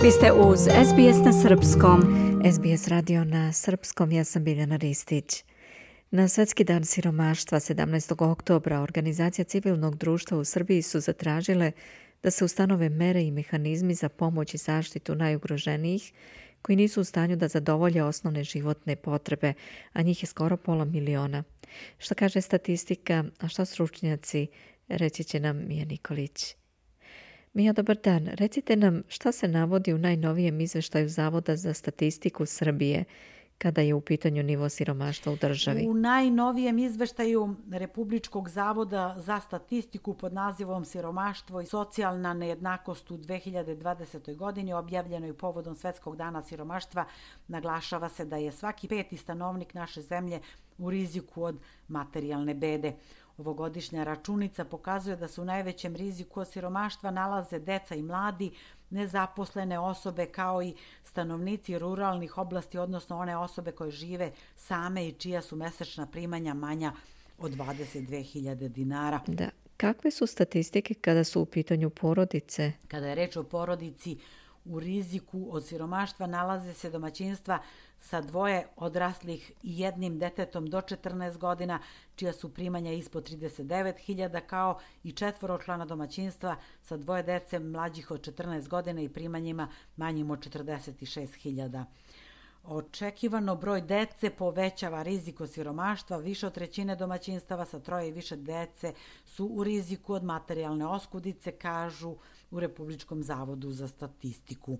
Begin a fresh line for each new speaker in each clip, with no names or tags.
Vi ste uz SBS na Srpskom.
SBS radio na Srpskom, ja sam Biljana Ristić. Na Svjetski dan siromaštva 17. oktobra organizacija civilnog društva u Srbiji su zatražile da se ustanove mere i mehanizmi za pomoć i zaštitu najugroženijih koji nisu u stanju da zadovolje osnovne životne potrebe, a njih je skoro 500.000. Šta kaže statistika, a šta stručnjaci, reći će nam Mija Nikolić. Mija, dobar dan. Recite nam šta se navodi u najnovijem izveštaju Zavoda za statistiku Srbije kada je u pitanju nivo siromaštva u državi.
U najnovijem izveštaju Republičkog zavoda za statistiku pod nazivom Siromaštvo i socijalna nejednakost u 2020. godini, objavljenoj povodom Svetskog dana siromaštva, naglašava se da je svaki 5. stanovnik naše zemlje u riziku od materijalne bede. Ovogodišnja računica pokazuje da se u najvećem riziku od siromaštva nalaze deca i mladi, nezaposlene osobe kao i stanovnici ruralnih oblasti, odnosno one osobe koje žive same i čija su mesečna primanja manja od 22.000 dinara.
Da. Kakve su statistike kada su u pitanju porodice?
Kada je reč o porodici, u riziku od siromaštva nalaze se domaćinstva sa 2 odraslih i 1 detetom do 14 godina, čija su primanja ispod 39.000, kao i 4-člana domaćinstva sa 2 dece mlađih od 14 godina i primanjima manjim od 46.000. Očekivano broj dece povećava rizik od siromaštva. Više od 1/3 domaćinstava sa 3 i više dece su u riziku od materijalne oskudice, kažu u Republičkom zavodu za statistiku.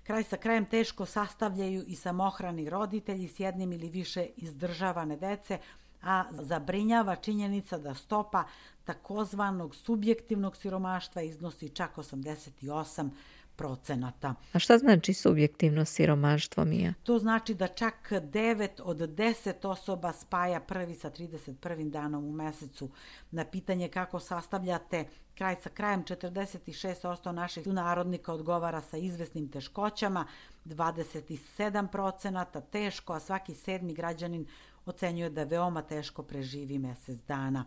Kraj sa krajem teško sastavljaju i samohrani roditelji s 1 ili više izdržavane dece, a zabrinjava činjenica da stopa takozvanog subjektivnog siromaštva iznosi čak 88%.
A šta znači subjektivno siromaštvo, Mija?
To znači da čak 9 od 10 osoba spaja 1. sa 31. danom u mesecu. Na pitanje kako sastavljate kraj sa krajem, 46% naših sunarodnika odgovara sa izvesnim teškoćama, 27% teško, a svaki 7. građanin ocenjuje da veoma teško preživi mesec dana.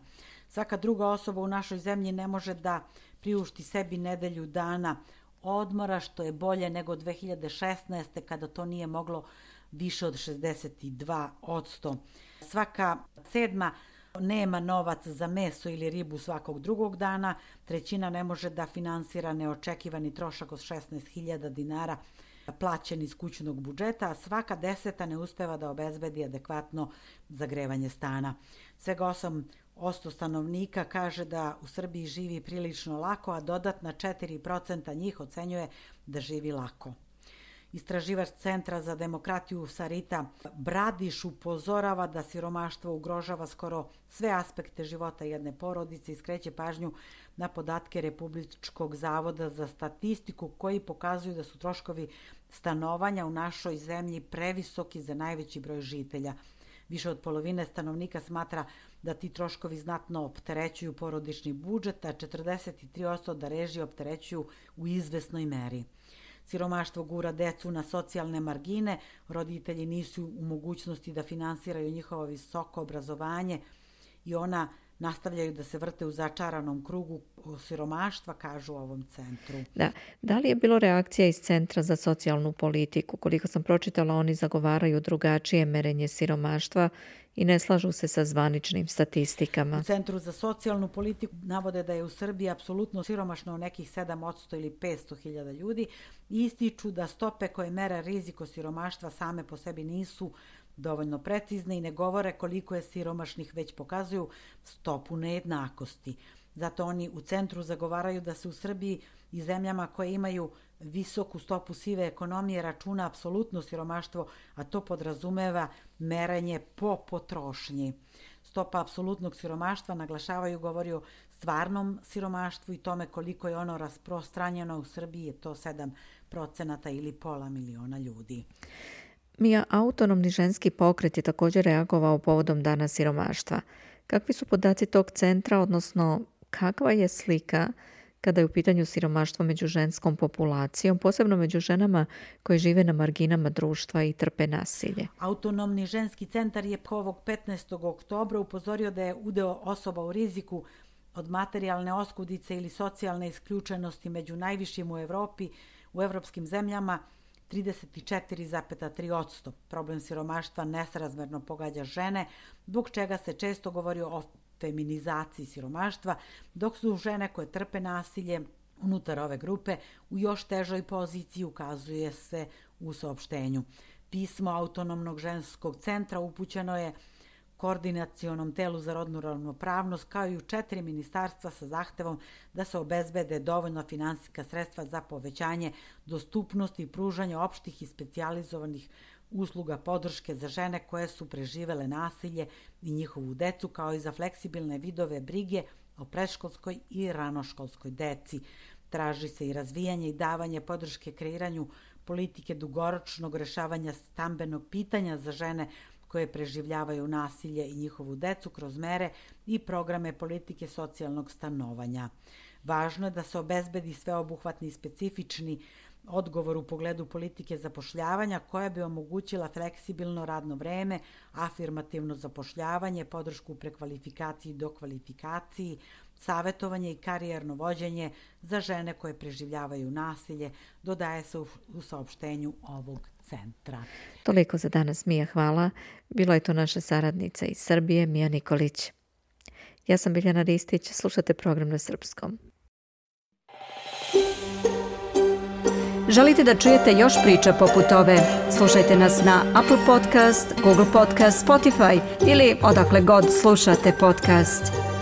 Svaka druga osoba u našoj zemlji ne može da priušti sebi nedelju dana odmora, što je bolje nego 2016. kada to nije moglo više od 62%. Svaka 7. nema novac za meso ili ribu svakog drugog dana, 1/3 ne može da finansira neočekivani trošak od 16.000 dinara plaćen iz kućnog budžeta, a svaka 10. ne uspeva da obezbedi adekvatno zagrevanje stana. Svega 8% stanovnika kaže da u Srbiji živi prilično lako, a dodatna 4% njih ocenjuje da živi lako. Istraživač Centra za demokratiju Sarita Bradiš upozorava da siromaštvo ugrožava skoro sve aspekte života jedne porodice i skreće pažnju na podatke Republičkog zavoda za statistiku koji pokazuju da su troškovi stanovanja u našoj zemlji previsoki za najveći broj žitelja. Više od polovine stanovnika smatra da ti troškovi znatno opterećuju porodični budžet, a 43% da režije opterećuju u izvesnoj meri. Siromaštvo gura decu na socijalne margine, roditelji nisu u mogućnosti da finansiraju njihovo visoko obrazovanje i ona nastavljaju da se vrte u začaranom krugu siromaštva, kažu u ovom centru.
Da li je bilo reakcija iz Centra za socijalnu politiku? Koliko sam pročitala, oni zagovaraju drugačije merenje siromaštva i ne slažu se sa zvaničnim statistikama.
U Centru za socijalnu politiku navode da je u Srbiji apsolutno siromašno nekih 7% ili 500.000 ljudi i ističu da stope koje mere rizik od siromaštva same po sebi nisu dovoljno precizne i ne govore koliko je siromašnih, već pokazuju stopu nejednakosti. Zato oni u centru zagovaraju da se u Srbiji i zemljama koje imaju visoku stopu sive ekonomije računa apsolutno siromaštvo, a to podrazumeva merenje po potrošnji. Stopa apsolutnog siromaštva, naglašavaju, govori o stvarnom siromaštvu i tome koliko je ono rasprostranjeno u Srbiji, je to 7% ili 500.000 ljudi.
Mija, autonomni ženski pokret je također reagovao povodom dana siromaštva. Kakvi su podaci tog centra, odnosno kakva je slika kada je u pitanju siromaštvo među ženskom populacijom, posebno među ženama koje žive na marginama društva i trpe nasilje?
Autonomni ženski centar je ovog 15. oktobra upozorio da je udeo osoba u riziku od materijalne oskudice ili socijalne isključenosti među najvišim u Evropi u evropskim zemljama 34,3%. Problem siromaštva nesrazmerno pogađa žene, zbog čega se često govori o feminizaciji siromaštva, dok su žene koje trpe nasilje unutar ove grupe u još težoj poziciji, ukazuje se u saopštenju. Pismo Autonomnog ženskog centra upućeno je Koordinacionom telu za rodnu ravnopravnost kao i u 4 ministarstva sa zahtevom da se obezbede dovoljno finansijska sredstva za povećanje dostupnosti i pružanje opštih i specijalizovanih usluga podrške za žene koje su preživele nasilje i njihovu decu, kao i za fleksibilne vidove brige o predškolskoj i ranoškolskoj deci. Traži se i razvijanje i davanje podrške kreiranju politike dugoročnog rešavanja stambenog pitanja za žene koje preživljavaju nasilje i njihovu decu kroz mere i programe politike socijalnog stanovanja. Važno je da se obezbedi sveobuhvatni i specifični odgovor u pogledu politike zapošljavanja koja bi omogućila fleksibilno radno vreme, afirmativno zapošljavanje, podršku u prekvalifikaciji i dokvalifikaciji, savetovanje i karijerno vođenje za žene koje preživljavaju nasilje, dodaje se u saopštenju ovog centra.
Toliko za danas, Mija, hvala. Bilo je to naša saradnica iz Srbije, Mija Nikolić. Ja sam Biljana Ristić, slušate program na srpskom.
Želite da čujete još priča poput ove? Slušajte nas na Apple Podcast, Google Podcast, Spotify ili odakle god slušate podcast.